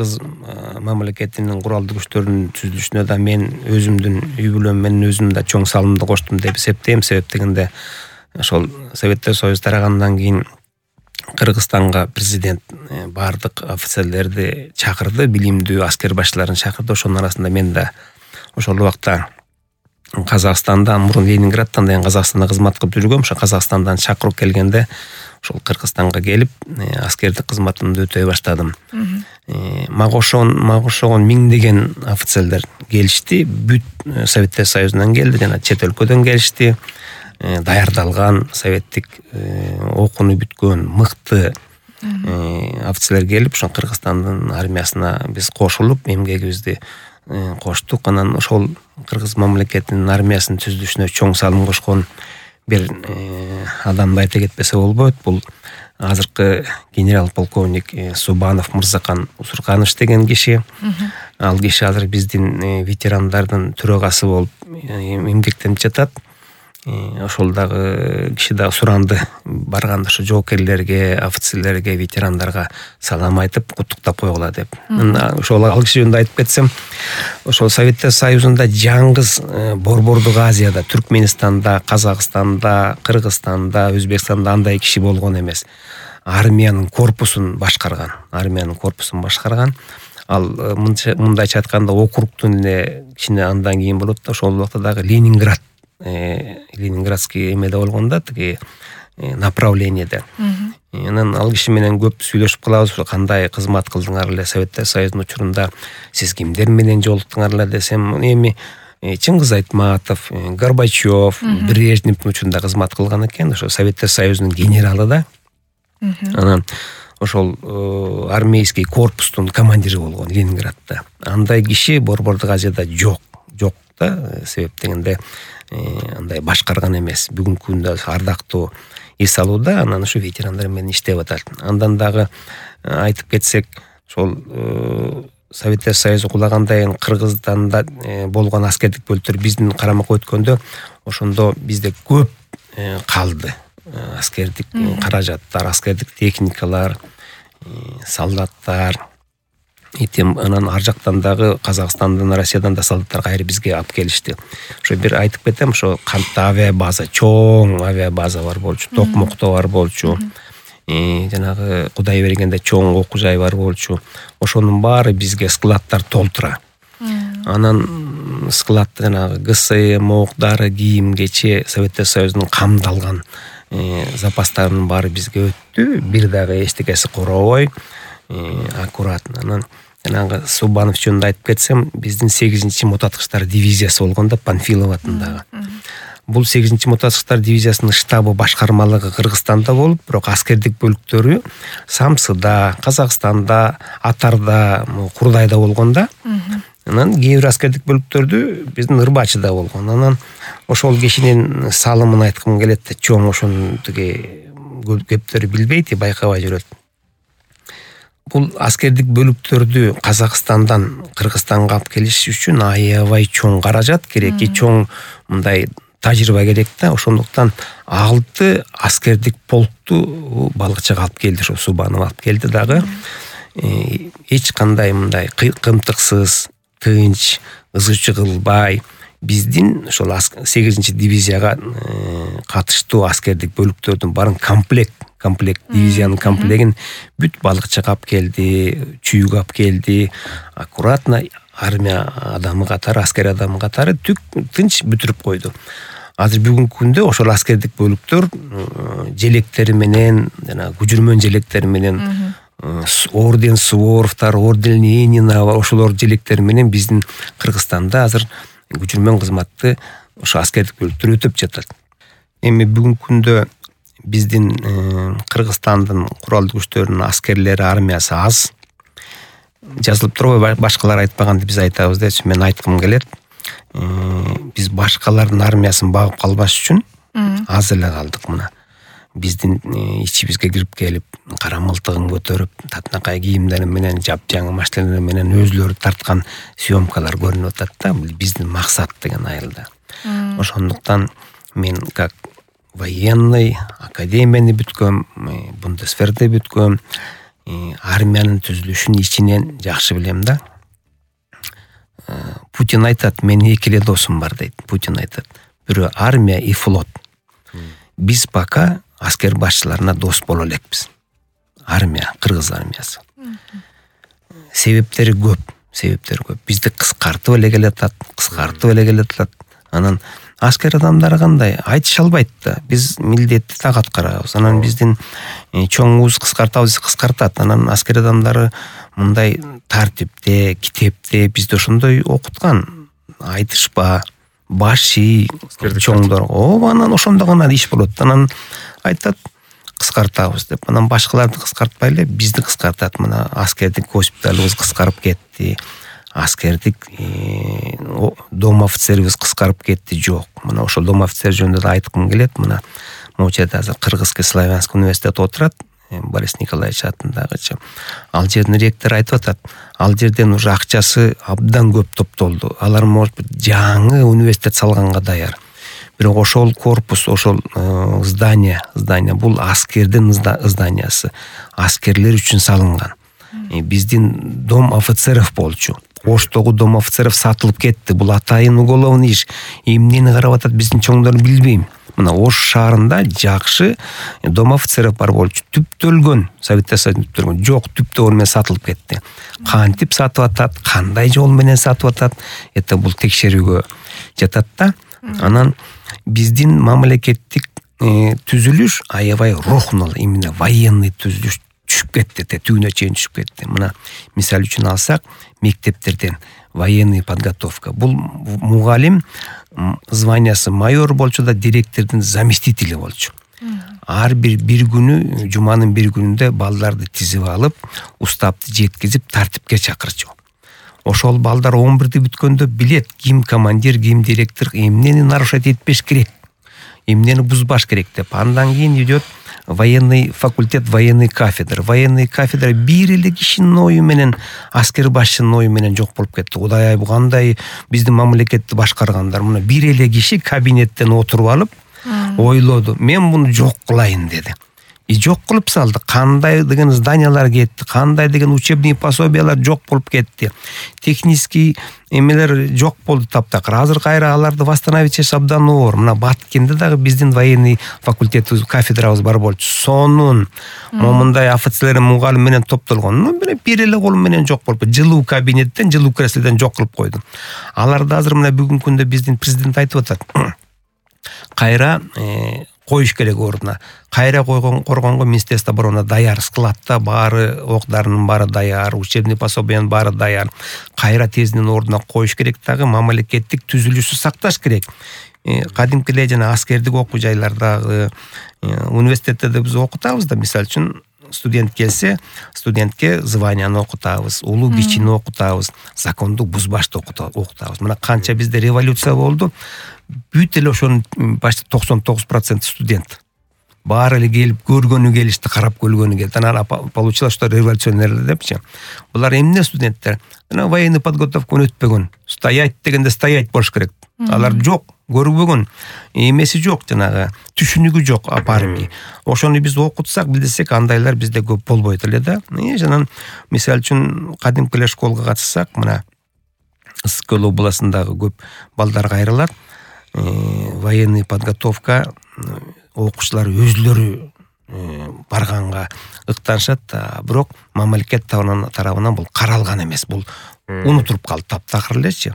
Кыргыз мамлекетинин куралдуу күчтөрүнүн түзүлүшүнө да мен өзүмдүн үй бүлөм менен өзүм да чоң салымды коштум деп эсептейм. Себеп дегенде ошол Советтер Союзу тарагандан кийин Кыргызстанга президент баардык офицерлерди чакырды, билимдүү аскер башчыларын чакырды. Ошонун арасында мен да ошол убакта Казакстанда, мурун Ленинградтан да Казакстанда кызмат кылып жүргөм. Ошо Казакстандан чакыруу келгенде ошол Кыргызстанга келип аскердик кызматымды өтөй баштадым. Мага окшогон миңдеген офицерлер келишти. Бүт Советтер Союзунан келди, жана чет өлкөдөн келишти. Даярдалган советтик окууну бүткөн мыкты офицерлер келип, ошо Кыргызстандын армиясына биз кошулуп, эмгегибизди коштук. Анан ошол Кыргыз мамлекетинин армиясынын түзүлүшүнө чоң салым кошкон бир адамды айта кетпесе болбойт. Бул азыркы генерал-полковник Субанов Мырзакан Усурканович деген киши. Ал киши азыр биздин ветерандардын төрагасы болуп эмгектенип жатат. Ошол дагы киши да суранды. Барганда ошо жоокерлерге, офицерлерге, ветерандарга салам айтып, куттуктап койгула деп. Ошол ал киши жөнүндө айтып кетсем, ошол Советтер Союзунда жаңгыз Борбордук Азияда, Түркменистанда, Казакстанда, Кыргызстанда, Өзбекстанда андай киши болгон эмес. Армиянын корпусун башкарган. Ал мындайча айтканда округтун эле кичине андан кийин болот да, ошол убакта дагы Ленинградский эмеде болгон да, тиги направлениеде. Анан ал киши менен көп сүйлөшүп калабыз. Кандай кызмат кылдыңар эле Советтер Союзунун учурунда, сиз кимдер менен жолуктуңар эле десем, эми Чыңгыз Айтматов, Горбачев, Брежневдин учурунда кызмат кылган экен. Ошо Советтер Союзунун генералы да. Анан ошол армейский корпустун командири болгон Ленинградда. Андай киши Борбордук Азияда жок да. Себеп дегенде андай башкарган эмес. Бүгүнкү күндө ардактуу эс алууда, анан ушу ветерандар менен иштеп атат. Андан дагы айтып кетсек, ошол Советтер Союзу кулагандан кийин Кыргызстанда болгон аскердик бөлүктөр биздин карамакка өткөндө, ошондо бизде көп калды. Аскердик каражаттар, аскердик техникалар, солдаттар. Анан ар жактан дагы Казакстандан, Россиядан да солдаттар кайра бизге алып келишти. Ошо бир айтып кетем, ошо Кантта авиабаза, чоң авиабаза бар болчу, Токмокто бар болчу. Жанагы Кудай бергенде чоң окуу жай бар болчу. Ошонун баары бизге складтар толтура. Анан складта жанагы ГСМ, ок, дары, кийим, кече, Советтер Союзунун камдалган запастарынын баары бизге өттү. Бир дагы эчтекеси коробой, аккуратно. Анан жанагы Субанов жөнүндө айтып кетсем, биздин 8-чи мотоаткычтар дивизиясы болгон да, Панфилов атындагы. Бул 8-чи мотоаткычтар дивизиясынын штабы, башкармалыгы Кыргызстанда болуп, бирок аскердик бөлүктөрү Самсыда, Казакстанда, Атарда, Курдайда болгон да. Анан кээ бир аскердик бөлүктөрдү биздин Ырбачыда болгон. Анан ошол кишинин салымын айткым келет да, чоң ошонун тиги көптөрү билбейт, байкабай жүрөт. Бул аскердик бөлүктөрдү Казакстандан Кыргызстанга алып келиш үчүн аябай чоң каражат керек, чоң мындай тажрыйба керек да. Ошондуктан 6 аскердик полкту Балыкчыга алып келди, ошо Субанов алып келди дагы. Эч кандай мындай кымтыксыз, тынч, ызычы кылбай биздин ошол 8-чи дивизияга катыштуу аскердик бөлүктөрдүн баарын комплект дивизиянын комплектин бүт Балыкчыга алып келди, Чүйгө алып келди. Аккуратно армия адамы катары, аскер адамы катары тынч бүтүрүп койду. Азыр бүгүнкү күндө ошол аскердик бөлүктөр желектери менен, жана күжүрмөн желектери менен, орден Суворовтар, орден Ленина, ошолор желектери менен биздин Кыргызстанда азыр күжүрмөн кызматты ошо аскердик бөлүктөр өтүп жатат. Эми бүгүнкү күндө биздин Кыргызстандын куралдуу күчтөрүнүн аскерлери, армиясы аз. Жазылып турбайбы, башкалар айтпаганды биз айтабыз дечи, мен айткым келет. Биз башкалардын армиясын багып калбаш үчүн аз эле калдык мына. Биздин ичибизге кирип келип, кара мылтыгын көтөрүп, татынакай кийимдери менен, жапжаңы машиналар менен өзүлөрү тарткан съемкалар көрүнүп атат да. Биздин максат деген айылда. Ошондуктан мен как военный академияны бүткөм, Бундесверди бүткөм, армиянын түзүлүшүн ичинен жакшы билем да. Путин айтат, менин 2 эле досум бар дейт. Путин айтат, бирөө армия и флот. Биз пока аскер башчыларына дос боло элекпиз. Армия, кыргыз армиясы. Себептери көп. Бизди кыскартып эле келатат. Анан аскер адамдары кандай? Айтыша албайт да. Биз милдетти так аткарабыз. Анан биздин чоңубуз кыскартат. Анан аскер адамдары мындай тартипте, китепте бизди ошондой окуткан. Айтышпа, баш ий, чоңдор. Анан ошондо гана иш болот. Анан айтат, кыскартабыз деп. Анан башкаларды кыскартпай эле бизди кыскартат. Мына аскердик госпиталыбыз кыскарып кетти. Аскердик дом офицерибиз кыскарып кетти. Жок. Мына ошол дом офицер жөнүндө да айткым келет. Мына могу жерде азыр Кыргызский славянский университет отурат. Борис Николаевич атындагычы. Ал жердин ректору айтып атат. Ал жерден уже акчасы абдан көп топтолду. Алар может жаңы университет салганга даяр. Бирок ошол корпус, ошол здание бул аскердин зданиясы. Аскерлер үчүн салынган. Биздин дом офицеров болчу. Оштогу дом офицеров сатылып кетти. Бул атайын уголовный иш. Эмнени карап атат биздин чоңдор билбейм. Мына Ош шаарында жакшы дом офицеров бар болчу. Түптөлгөн, Совет Союзунда түптөлгөн. Жок, түптөгөн менен сатылып кетти. Кантип сатып атат, кандай жол менен сатып атат? Бул текшерүүгө жатат да. Анан биздин мамлекеттик түзүлүш аябай рухнул, именно военный түзүлүш түшүп кетти, түбүнө чейин түшүп кетти. Мына мисал үчүн алсак, мектептерден военный подготовка. Бул мугалим званиясы майор болчу да, директордун заместители болчу. Ар бир күнү, жуманын бир күнүндө балдарды тизип алып, уставды жеткизип тартипке чакырчу. Ошол балдар 11-ди бүткөндө билет, ким командир, ким директор эмнени нарушать этпеш керек, эмнени бузбаш керек деп. Андан кийин идет военный факультет, военный кафедра. Военный кафедра бир эле кишинин ою менен, аскер башчынын ою менен жок болуп кетти. Кудай ай, бу кандай биздин мамлекетти башкаргандар. Мына бир эле киши кабинеттен отуруп алып, ойлоду. Мен муну жок кылайын деди. Жок кылып салды. Кандай деген зданиялар кетти, кандай деген учебный пособиялар жок болуп кетти. Технический эмелер жок болду таптакыр. Азыр кайра аларды восстановить этиш абдан оор. Мына Баткенде дагы биздин военный факультетибиз, кафедрабыз бар болчу. Сонун момундай офицерлер мугалим менен топтолгон. Бир эле колу менен жок болуп, жылуу кабинеттен, жылуу креслодон жок кылып койду. Аларды азыр мына бүгүнкү күндө биздин президент айтып атат. Кайра коюш керек ордуна. Кайра коргонго Министерство обороны даяр, складта баары, оқ-дарынын баары даяр, учебный пособиянын баары даяр. Кайра тезинен ордуна коюш керек, дагы мамлекеттик түзүлүшү сакташ керек. Кадимки эле жана аскердик окуу жайлардагы, университеттерде биз окутабыз да, мисалы үчүн студент келсе, студентке званияны окутабыз, улуу кичини окутабыз, законду бузбашты окутабыз. Мына канча бизде революция болду, бүт эле ошонун почти 99% студент. Баары эле келип көргөнү келишти, карап көргөнү келди. Анан получилось, что революционерлер депчи. Булар эмне студенттер? Анан военный подготовканы өтпөгөн. Стоять дегенде стоять болуш керек. Алар жок, көрбөгөн, эмеси жок, жанагы түшүнүгү жок апарымы. Ошону биз окутсак, билдирсек, андайлар бизде көп болбойт эле да. Жанан мисал үчүн кадимки эле школго катышсак, мына Ысык-Көл областындагы көп балдар кайрылат. Военный подготовка окуучулар өзлөрү барганга ыктанышат, бирок мамлекет тарабынан бул каралган эмес. Бул унутулуп калды таптакыр элечи.